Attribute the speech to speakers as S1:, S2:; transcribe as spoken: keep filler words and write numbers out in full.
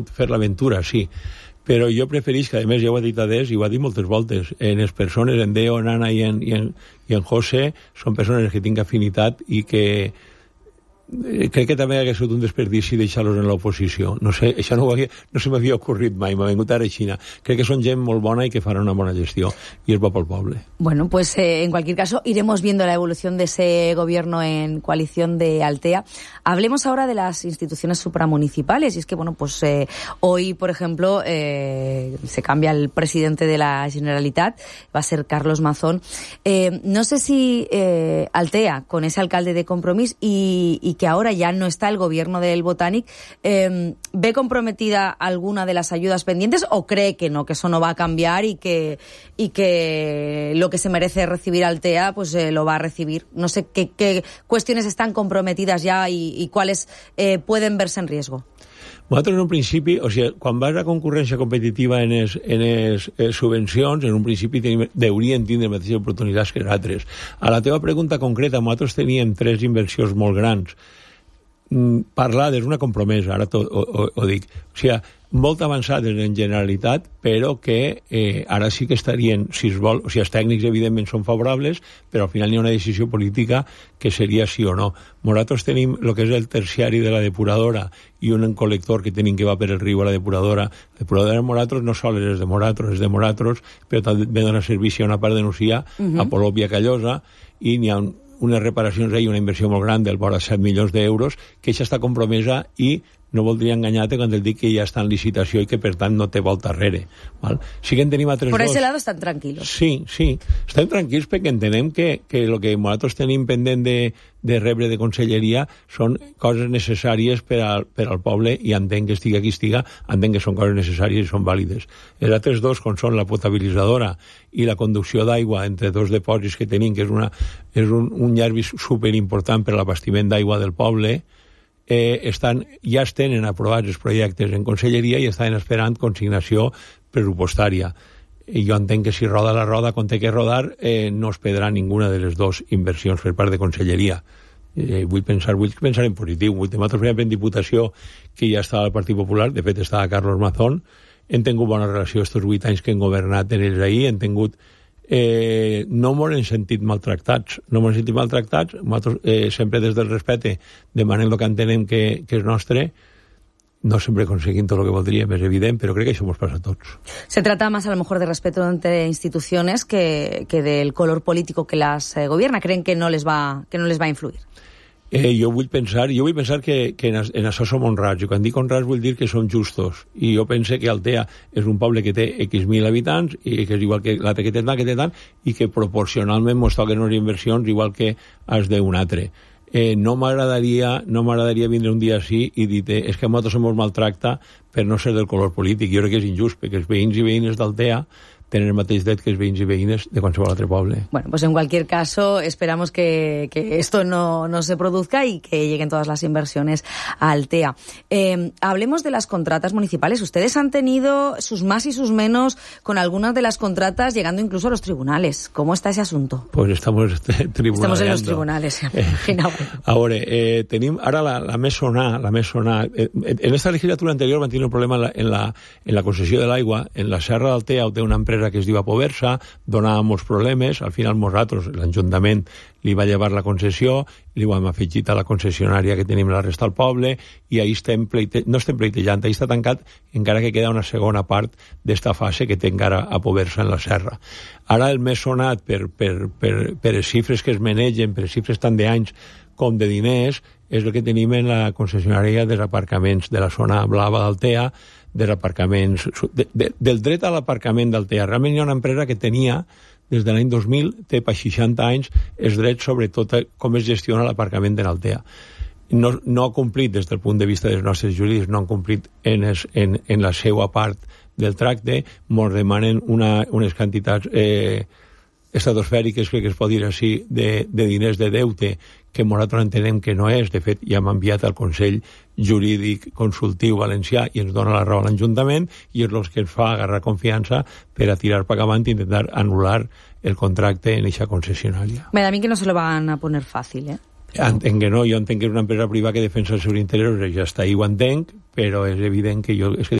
S1: pogut fer l'aventura, sí, però jo preferís que, a més, ja ho ha dit Adés i ho ha dit moltes voltes, en les persones, en Deo, en Anna i en, i en, i en José, són persones que tinc afinitat i que crec que també hauria sigut un desperdici deixar-los en l'oposició. No sé, això no, havia, no se m'havia ocorrit mai, m'ha vingut ara a Xina. Crec que són gent molt bona i que faran una bona gestió, y es bo pel poble.
S2: Bueno, pues eh, en cualquier caso iremos viendo la evolución de ese gobierno en coalición de Altea. Hablemos ahora de las instituciones supramunicipales, y es que, bueno, pues eh, hoy, por ejemplo, eh, se cambia el presidente de la Generalitat, va a ser Carlos Mazón. Eh, no sé si eh, Altea, con ese alcalde de Compromís y, y que ahora ya no está el gobierno del Botànic, eh, ¿ve comprometida alguna de las ayudas pendientes o cree que no, que eso no va a cambiar y que, y que lo que se merece recibir Altea pues eh, lo va a recibir? No sé qué, qué cuestiones están comprometidas ya y, y cuáles eh, pueden verse en riesgo.
S1: Nosaltres, en un principi, o sigui, quan vas a concurrència competitiva en les en es, eh, subvencions, en un principi tenim, deurien tindre les mateixes oportunitats que els altres. A la teva pregunta concreta, nosaltres teníem tres inversions molt grans. Mm, parlades, una compromesa, ara ho, ho, ho dic. O sigui, molt avançades en Generalitat, però que eh, ara sí que estarien, si es vol, o sigui, els tècnics evidentment són favorables, però al final hi ha una decisió política que seria sí o no. Nosaltres tenim el que és el terciari de la depuradora i un col·lector que tenim que va per el riu a la depuradora. La depuradora de Moratros no sols és de Moratros, és de Moratros, però també dona servici a una part de Nucia, uh-huh. a Polop i a Callosa, i n'hi ha un, unes reparacions i una inversió molt gran del vora set milions d'euros, que ja està compromesa i no voldria enganyar-te quan et dic que ja està en licitació i que, per tant, no té volta arrere. Val? Sí que en tenim altres
S2: Por
S1: dos.
S2: ese lado estan tranquilos.
S1: Sí, sí. Estem tranquils perquè entenem que, que el que nosaltres tenim pendent de, de rebre de conselleria són coses necessàries per al, per al poble i entenc que estigui qui estiga, entenc que són coses necessàries i són vàlides. Els altres dos, com són la potabilitzadora i la conducció d'aigua entre dos depòsits que tenim, que és, una, és un, un llarg superimportant per a l'abastiment d'aigua del poble, Eh, estan, ja es tenen aprovats els projectes en conselleria i estan esperant consignació pressupostària. I jo entenc que si roda la roda com té que rodar, eh, no es perdrà ninguna de les dues inversions per part de conselleria. Eh, vull pensar vull pensar en positiu. Vull nosaltres veiem en Diputació que ja estava el Partit Popular, de fet estava Carlos Mazón, hem tingut bona relació estos vuit anys que hem governat en ells ahir, hem tingut Eh, no m'ho hem sentit maltractats no m'ho hem sentit maltractats nosaltres, eh, sempre des del respecte demanem el que entenem que, que és nostre, no sempre conseguim tot el que voldríem, és evident, però crec que això ens passa a tots.
S2: Se trata más a lo mejor de respeto entre instituciones que, que del color político que las eh, gobierna. ¿Creen que no les va, que no les va a influir?
S1: Eh, jo vull pensar, jo vull pensar que, que en, en això som honrats, i quan dic honrats vull dir que som justos, i jo pense que Altea és un poble que té X mil habitants, i que és igual que l'altre que té tant, que té tant, i que proporcionalment mos toquen unes inversions igual que els d'un altre. Eh, no m'agradaria no m'agradaria vindre un dia així i dir és que a nosaltres se mos maltracta per no ser del color polític. Jo crec que és injust, perquè els veïns i veïnes d'Altea tener el mateix dret que els veïns i veïnes de qualsevol altre poble.
S2: Bueno, pues en cualquier caso esperamos que, que esto no, no se produzca y que lleguen todas las inversiones a Altea. Eh, hablemos de las contratas municipales. Ustedes han tenido sus más y sus menos con algunas de las contratas, llegando incluso a los tribunales. ¿Cómo está ese asunto?
S1: Pues estamos tribunaleando.
S2: Estamos en los tribunales, ja m'imagino.
S1: Ahora, eh, tenim ara la, la més sonada, la més sonada. Eh, en esta legislatura anterior van tenir un problema en la, en la, en la concessió de l'aigua. En la Serra d'Altea té una empresa que es diu Apoversa, donava molts problemes, al final nosaltres, l'Ajuntament li va llevar la concessió, li ho hem afegit a la concessionària que tenim la resta del poble, i ahí estem pleite... no estem pleitejant, ahí està tancat, encara que queda una segona part d'esta fase que té encara Apoversa en la serra. Ara el més sonat per, per, per, per les xifres que es manegen, per les xifres tant d'anys com de diners, és el que tenim en la concessionària dels aparcaments de la zona blava d'Altea, dels aparcaments, de, de, del dret a l'aparcament d'Altea. Realment hi ha una empresa que tenia, des de l'any dos mil, té per seixanta anys, els drets sobre tot com es gestiona l'aparcament de l'Altea. No, no ha complit, des del punt de vista dels nostres jurídics, no han complit en, es, en, en la seva part del tracte, ens demanen una, unes quantitats eh, estratosfèriques, crec que es pot dir així, de, de diners de deute, que nosaltres entenem que no és. De fet, ja hem enviat al Consell Jurídic Consultiu Valencià i ens dona la raó a l'Ajuntament, i és el que ens fa agarrar confiança per a tirar per avant i intentar anul·lar el contracte en aquesta concessionària.
S2: Me da a mí que no se lo van a poner fàcil, eh?
S1: Entenc que no, jo entenc que és una empresa privada que defensa els seus interessos, ja està, ahí ho entenc, però és evident que jo... És que